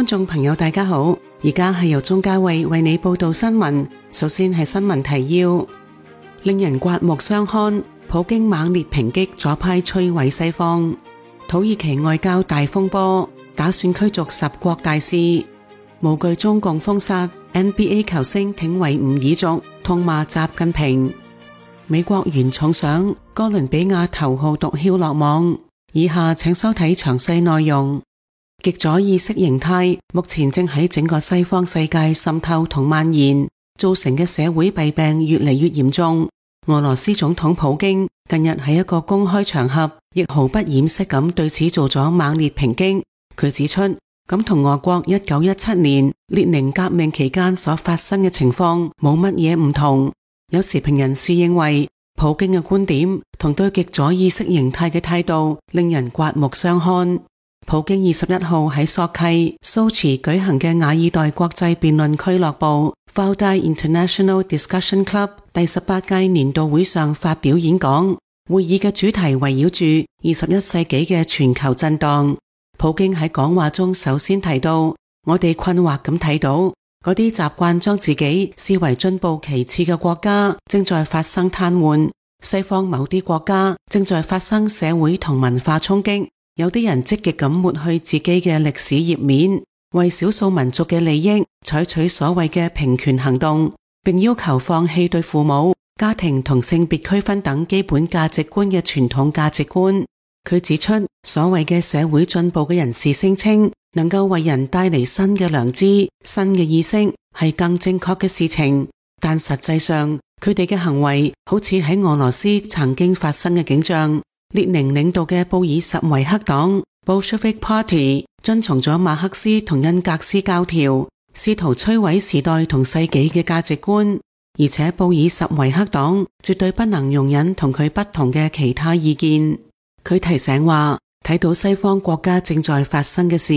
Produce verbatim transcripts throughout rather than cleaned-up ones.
觀眾朋友大家好，而家係由鍾嘉慧為你報道新聞。首先係新聞提要，令人刮目相看，普京猛烈抨擊左派摧毀西方。土耳其外交大風波，打算驅逐十國大使。無懼中共封殺 N B A 球星挺維吾爾族，痛罵習近平。美國原重賞哥倫比亞頭號毒梟落網。以下請收睇詳細內容。極左意識形態目前正喺整個西方世界滲透同蔓延，造成嘅社會弊病越嚟越嚴重。俄羅斯總統普京近日喺一個公開場合，亦毫不掩飾咁對此做咗猛烈抨擊。佢指出，咁同俄國一九一七年列寧革命期間所發生嘅情況冇乜嘢唔同。有時評人士認為，普京嘅觀點同對極左意識形態嘅態度令人刮目相看。普京二十一號喺索契、蘇茨舉行嘅雅爾代國際辯論俱樂部 Valdai International Discussion Club 第十八屆年度會上發表演講，會議嘅主題圍繞住二十一世紀嘅全球震盪。普京喺講話中首先提到，我哋困惑咁睇到，嗰啲習慣將自己視為進步其次嘅國家正在發生癱瘓，西方某啲國家正在發生社會同文化衝擊。有啲人積極咁抹去自己嘅歷史頁面，為少數民族嘅利益採取所謂嘅平權行動，並要求放棄對父母、家庭同性別區分等基本價值觀嘅傳統價值觀。佢指出，所謂嘅社會進步嘅人士聲稱能夠為人帶嚟新嘅良知、新嘅意識，係更正確嘅事情，但實際上佢哋嘅行為好似喺俄羅斯曾經發生嘅景象。列寧領導嘅布爾什維克黨 Bolshevik Party 遵從咗馬克思同恩格斯教條，試圖摧毀時代同世紀嘅價值觀，而且布爾什維克黨絕對不能容忍同佢不同嘅其他意見。佢提醒話，睇到西方國家正在發生嘅事，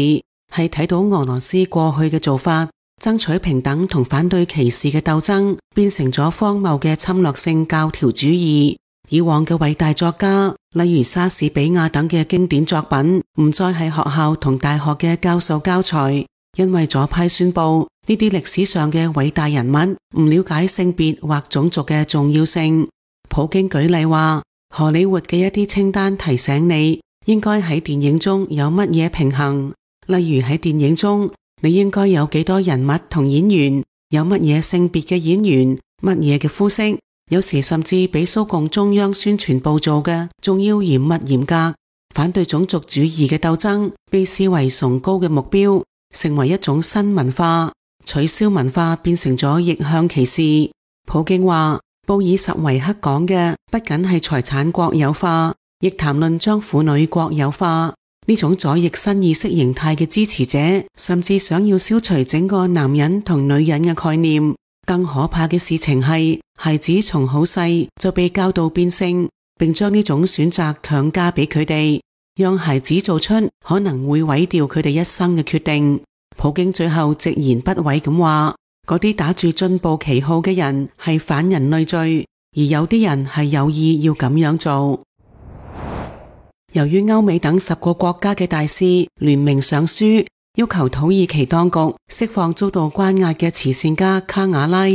係睇到俄羅斯過去嘅做法，爭取平等同反對歧視嘅鬥爭變成咗荒謬嘅侵略性教條主義。以往嘅偉大作家，例如莎士比亞等嘅經典作品，唔再係學校同大學嘅教授教材，因為左派宣布呢啲歷史上嘅偉大人物唔了解性別或種族嘅重要性。普京舉例話，荷里活嘅一啲清單提醒你應該喺電影中有乜嘢平衡，例如喺電影中你應該有幾多人物同演員，有乜嘢性別嘅演員，乜嘢嘅膚色。有時甚至比蘇共中央宣傳部做嘅仲要嚴密嚴格。反對種族主義嘅鬥爭被視為崇高嘅目標，成為一種新文化，取消文化變成咗逆向歧視。普京話，布爾什維克講嘅不僅係財產國有化，亦談論將婦女國有化。呢種左翼新意識形態嘅支持者甚至想要消除整個男人同女人嘅概念。更可怕嘅事情係，孩子從好細就被教導變性，並將呢種選擇強加俾佢哋，讓孩子做出可能會毀掉佢哋一生嘅決定。普京最後直言不諱咁話，嗰啲打住進步旗號嘅人係反人類罪，而有啲人係有意要咁樣做。由於歐美等十個國家嘅大使聯名上書，要求土耳其當局釋放遭到關押嘅慈善家卡瓦拉。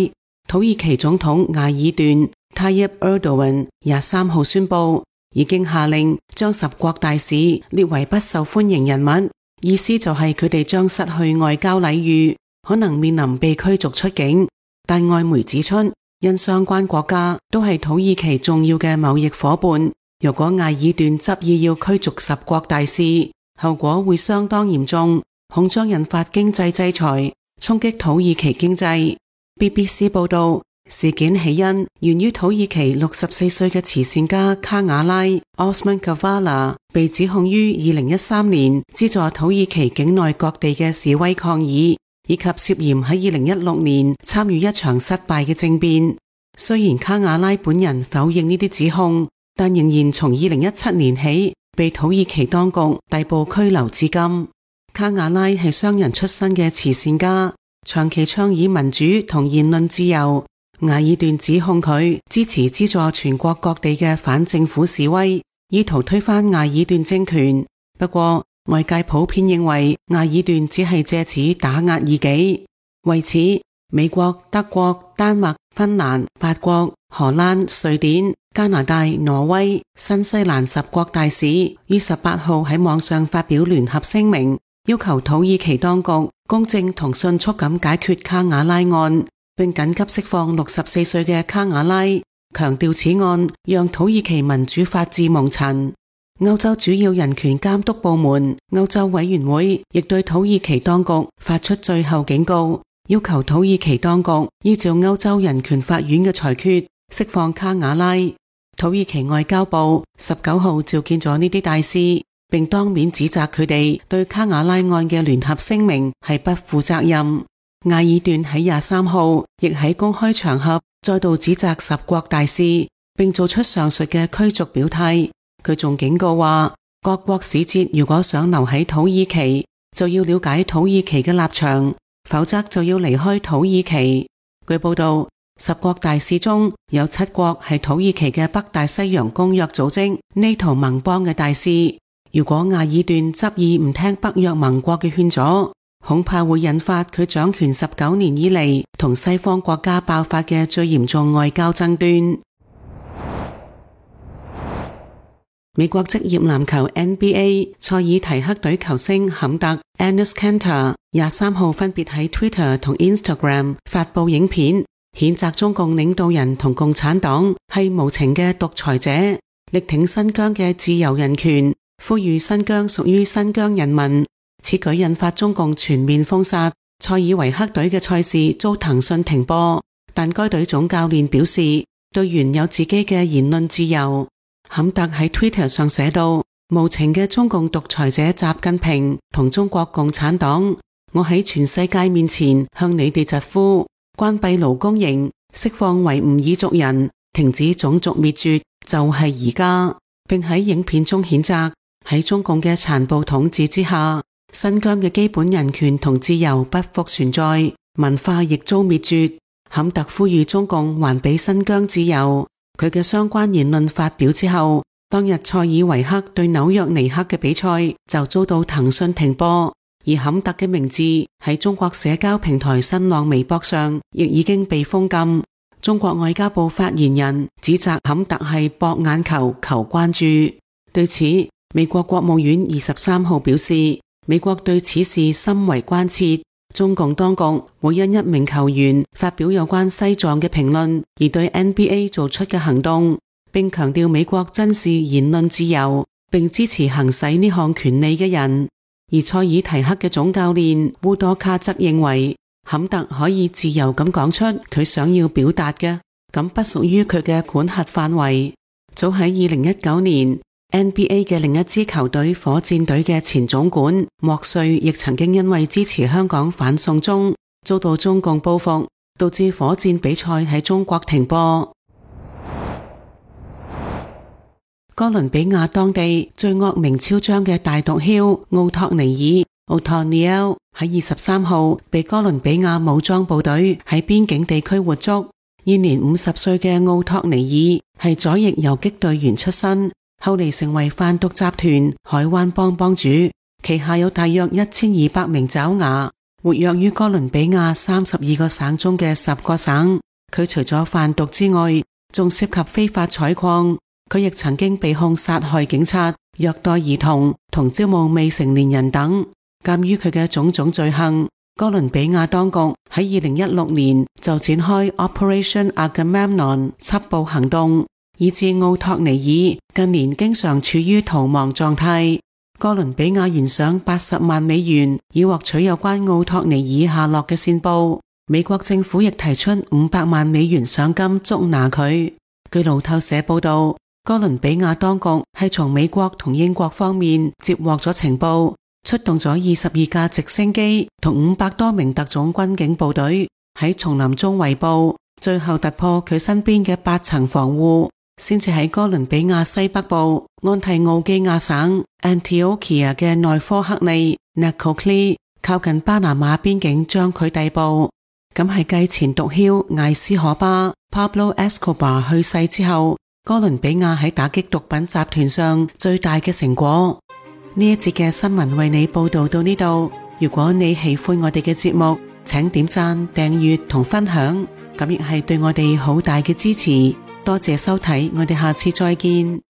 土耳其總統艾爾段 Tayyip Erdogan 廿三號宣布，已經下令將十國大使列為不受歡迎人物，意思就係佢哋將失去外交禮遇，可能面臨被驅逐出境。但外媒指出，因相關國家都係土耳其重要嘅貿易夥伴，如果艾爾段執意要驅逐十國大使，後果會相當嚴重，恐將引發經濟制裁，衝擊土耳其經濟。B B C 報道，事件起因源於土耳其六十四歲嘅慈善家卡瓦拉 Osman Kavala 被指控於二零一三年資助土耳其境內各地嘅示威抗議，以及涉嫌喺二零一六年參與一場失敗嘅政變。雖然卡瓦拉本人否認呢啲指控，但仍然從二零一七年起被土耳其當局逮捕拘留至今。卡瓦拉係商人出身嘅慈善家，長期倡議民主同言論自由。艾爾段指控佢支持資助全國各地嘅反政府示威，意圖推翻艾爾段政權。不過外界普遍認為埃爾段只係借此打壓異己。為此，美國、德國、丹麥、芬蘭、法國、荷蘭、瑞典、加拿大、挪威、新西蘭十國大使於十八號喺網上發表聯合聲明，要求土耳其當局公正同迅速咁解決卡瓦拉案，並緊急釋放六十四歲嘅卡瓦拉，強調此案讓土耳其民主法治蒙塵。歐洲主要人權監督部門歐洲委員會亦對土耳其當局發出最後警告，要求土耳其當局依照歐洲人權法院嘅裁決釋放卡瓦拉。土耳其外交部十九號召見咗呢啲大使，並當面指責佢哋對卡瓦拉案嘅聯合聲明係不負責任。埃爾段喺廿三號亦喺公開場合再度指責十國大使，並做出上述嘅驅逐表態。佢仲警告話，各國使節如果想留喺土耳其，就要了解土耳其嘅立場，否則就要離開土耳其。據報道，十國大使中有七國係土耳其嘅北大西洋公約組織 NATO 盟邦嘅大使。如果埃爾段執意唔聽北約盟國嘅勸阻，恐怕會引發佢掌權十九年以嚟同西方國家爆發嘅最嚴重外交爭端。美國職業籃球 N B A 塞爾提克隊球星坎特 Enes Kanter 廿三號分別喺 Twitter 同 Instagram 發佈影片，譴責中共領導人同共產黨係無情嘅獨裁者，力挺新疆嘅自由人權，呼籲新疆屬於新疆人民。此舉引發中共全面封殺，塞爾維克隊嘅賽事遭騰訊停播，但該隊總教練表示隊員有自己嘅言論自由。坎特喺 Twitter 上寫道，無情嘅中共獨裁者習近平同中國共產黨，我喺全世界面前向你哋疾呼，關閉勞工營，釋放維吾爾族人，停止種族滅絕，就係而家。並喺影片中譴責喺中共嘅殘暴統治之下，新疆嘅基本人權同自由不復存在，文化亦遭滅絕。坎特呼籲中共還俾新疆自由。佢嘅相關言論發表之後，當日塞爾維克對紐約尼克嘅比賽就遭到騰訊停播，而坎特嘅名字喺中國社交平台新浪微博上亦已經被封禁。中國外交部發言人指責坎特係博眼球、求關注。對此，美國國務院二十三號表示，美國對此事深為關切。中共當局會因一名球員發表有關西藏嘅評論而對 N B A 做出嘅行動，並強調美國珍視言論自由，並支持行使呢項權利嘅人。而塞爾提克嘅總教練烏多卡則認為，坎特可以自由咁講出佢想要表達嘅，咁不屬於佢嘅管轄範圍。早喺二零一九年N B A 嘅另一支球隊火箭隊嘅前總管莫瑞亦曾經因為支持香港反送中，遭到中共報復，導致火箭比賽喺中國停播。哥倫比亞當地最惡名昭彰嘅大毒梟奧托尼爾 Othoniel 喺二十三號被哥倫比亞武裝部隊喺邊境地區活捉。現年五十歲嘅奧托尼爾係左翼游擊隊員出身，後嚟成為販毒集團海灣幫幫主，旗下有大約一千二百名爪牙，活躍於哥倫比亞三十二個省中嘅十個省。佢除咗販毒之外，仲涉及非法採礦。佢亦曾經被控殺害警察、虐待兒童同招募未成年人等。鑒於佢嘅種種罪行，哥倫比亞當局喺二零一六年就展開 Operation Agamemnon 緝捕行動，以致奧托尼爾近年經常處於逃亡狀態。哥倫比亞懸賞八十萬美元以獲取有關奧托尼爾下落嘅線報。美國政府亦提出五百萬美元賞金捉拿佢。據路透社報道，哥倫比亞當局係從美國同英國方面接獲咗情報，出動咗二十二架直升機同五百多名特種軍警部隊喺叢林中圍捕，最後突破佢身邊嘅八層防護，先至喺哥倫比亞西北部安提奧基亞省 Antioquia 嘅內科克利 Necoclí 靠近巴拿馬邊境將佢逮捕。咁係繼前毒梟艾斯可巴 Pablo Escobar 去世之後，哥倫比亞喺打擊毒品集團上最大嘅成果。呢一節嘅新聞為你報道到呢度。如果你喜歡我哋嘅節目，請點讚、訂閱同分享，咁亦係對我哋好大嘅支持。多謝收睇，我哋下次再見。